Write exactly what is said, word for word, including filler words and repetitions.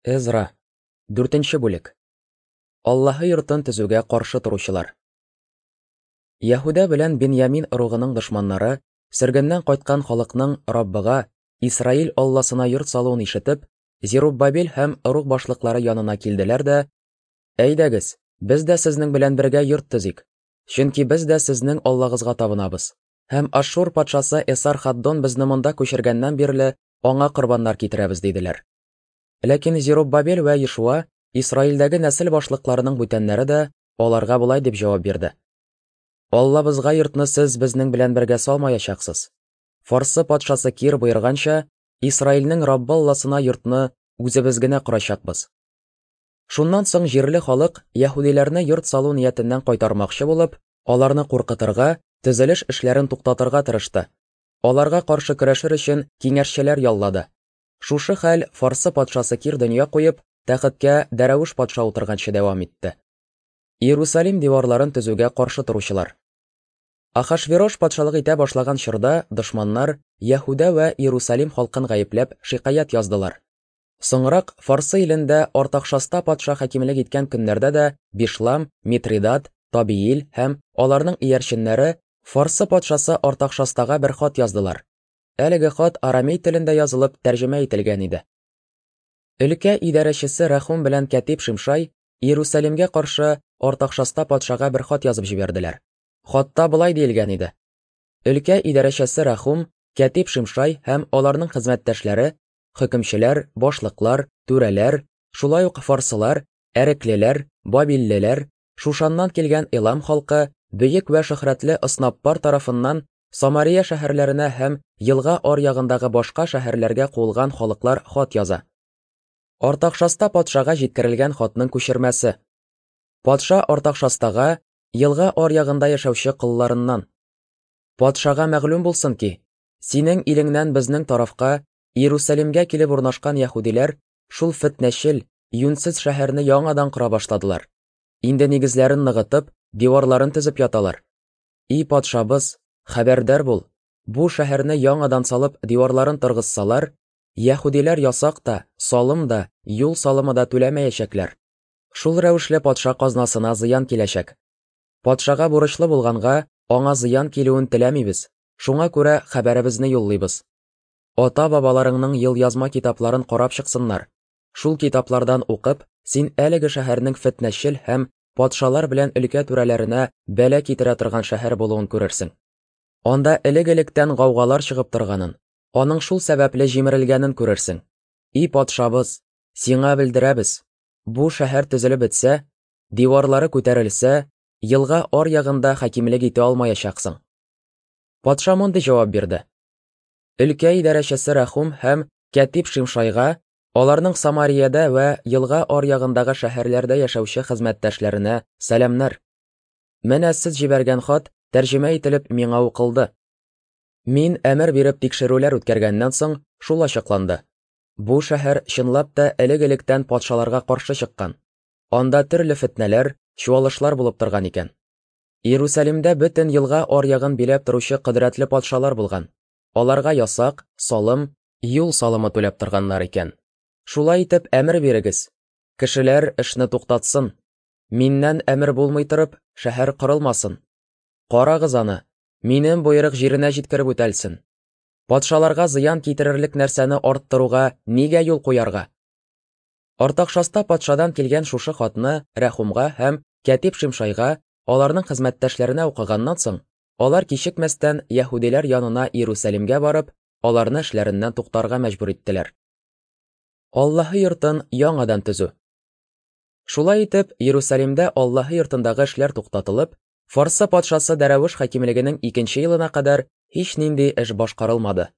Эзра, дүртенче бүлек. Аллаһы йортын төзүгә каршы торучылар. Яһүдә белән Беньямин ыругының дошманнары, сөргеннән кайткан халыкның Раббыга, Исраил Алласына йорт салуын ишетеп, Зеруббабел һәм ыруг башлыклары янына килделәр дә: "Әйдәгез, без дә сезнең белән бергә йорт төзик, чөнки без дә сезнең Аллагызга табынабыз. Һәм Ашшур патшасы Эсар-Хаддон безне монда күчергәннән бирле аңа корбаннар китерәбез", диделәр. Ләкин Зеруббабел вә Ешуа, Исраилдәге нәсел башлыкларының бүтәннәре дә аларга болай дип җавап бирде: "Аллабызга йортны сез безнең белән бергә салмаячаксыз. Фарсы патшасы Кир боерганча, Исраилнең Раббы Алласына йортны үзебез генә корачакбыз". Шуннан соң җирле халык яһүдиләрне йорт салу ниятеннән кайтармакчы булып, аларны куркытырга, төзелеш эшләрен туктатырга тырышты. Аларга каршы көрәшер өчен киңәшчеләр яллады. Шушы хәл Фарсы патшасы Кир дөнья куеп, тәхеткә Дәрәвеш патша утырганчы дәвам итте. Иерусалим диварларын төзүгә каршы торучылар. Ахашверош патшалык итә башлаган чорда дошманнар Яһүдә вә Иерусалим халкын гаепләп шикаять яздылар. Соңрак Фарсы илендә Артакшаста патша хакимлек иткән көннәрдә дә Бишлам, Митридат, Табиил һәм аларның иярченнәре Фарсы патшасы Артакшастага бер хат яздылар. Әлеге хат арамей телендә язылып тәрҗемә ителгән иде. Өлкә идарәчесе Рәхум белән кәтиб Шимшай Иерусалимгә каршы Артакшаста патшага бер хат язып җибәрделәр. Хатта болай диелгән иде: Өлкә идарәчесе Рәхум, кәтиб Шимшай һәм аларның хезмәттәшләре, хөкемчеләр, башлыклар, түрәләр, шулай ук фарсылар, әреклеләр, бабиллеләр, Шушаннан килгән Элам халкы, бөек вә шөһрәтле Оснаппар тарафыннан Самария шәһәрләренә һәм елга аръягындагы башка шәһәрләргә куылган халыклар хат яза. Артакшаста патшага җиткерелгән хатның күчермәсе. Патша Артакшастага елга аръягында яшәүче колларыннан: "Патшага мәгълүм булсын ки, синең илеңнән безнең тарафка Иерусалимгә килеп урнашкан яһүдиләр шул фетнәчел, юньсез шәһәрне яңадан кора башладылар. Инде нигезләрен ныгытып, диварларын төзеп яталар. И патшабыз, хәбәрдар бул, бу шәһәрне яңадан салып диварларын торгызсалар, яһүдиләр ясак та, салым да, юл салымы да түләмәячәкләр. Шул рәвешле патша казнасына зыян киләчәк. Патшага бурычлы булганга, аңа зыян килүен теләмибез, шуңа күрә хәбәребезне юллыйбыз. Ата-бабаларыңның елъязма китапларын карап чыксыннар. Шул китаплардан укып, син әлеге шәһәрнең фетнәчел һәм патшалар белән өлкә түрәләренә бәла китерә торган шәһәр булуын күрерсең. Анда элек-электән гаугалар чыгып торганын, аның шул сәбәпле җимерелгәнен күрерсең. И патшабыз, сиңа белдерәбез, бу шәһәр төзелеп бетсә, диварлары күтәрелсә, елга аръягында хакимлек итә алмаячаксың". Патша мондый җавап бирде: Өлкә идарәчесе Рәхум һәм кәтиб Шимшайга, аларның Самариядә вә елга аръягындагы шәһәрләрдә яшәүче хезмәттәшләренә сәламнәр. Менә сез җибәргән хат тәрҗемә ителеп миңа укылды. Мин әмер биреп тикшерүләр үткәргәннән соң шул ачыкланды: бу шәһәр чынлап та элек-электән патшаларга каршы чыккан. Анда төрле фетнәләр, чуалышлар булып торган икән. Иерусалимдә бөтен елга аръягын биләп торучы кодрәтле патшалар булган. Аларга ясак, салым, юл салымы түләп торганнар икән. Шулай итеп әмер бирегез: кешеләр эшне туктатсын. Миннән әмер булмый торып, шәһәр корылмасын. Карагыз аны, минем боерык җиренә җиткереп үтәлсен. Патшаларга зыян китерерлек нәрсәне арттыруга нигә юл куярга?" Артакшаста патшадан килгән шушы хатны Рәхумга һәм кәтиб Шимшайга, аларның хезмәттәшләренә укыганнан соң, алар кичекмәстән яһүдиләр янына Иерусалимгә барып, аларны эшләреннән туктарга мәҗбүр иттеләр. Аллаһы йортын яңадан төзү. Шулай итеп, Иерусалимдә Аллаһы йортындагы эшләр туктатылып, Фарсы патшасы Дәрәвеш хакимлегенең икенче елына кадәр һичнинди эш башкарылмады.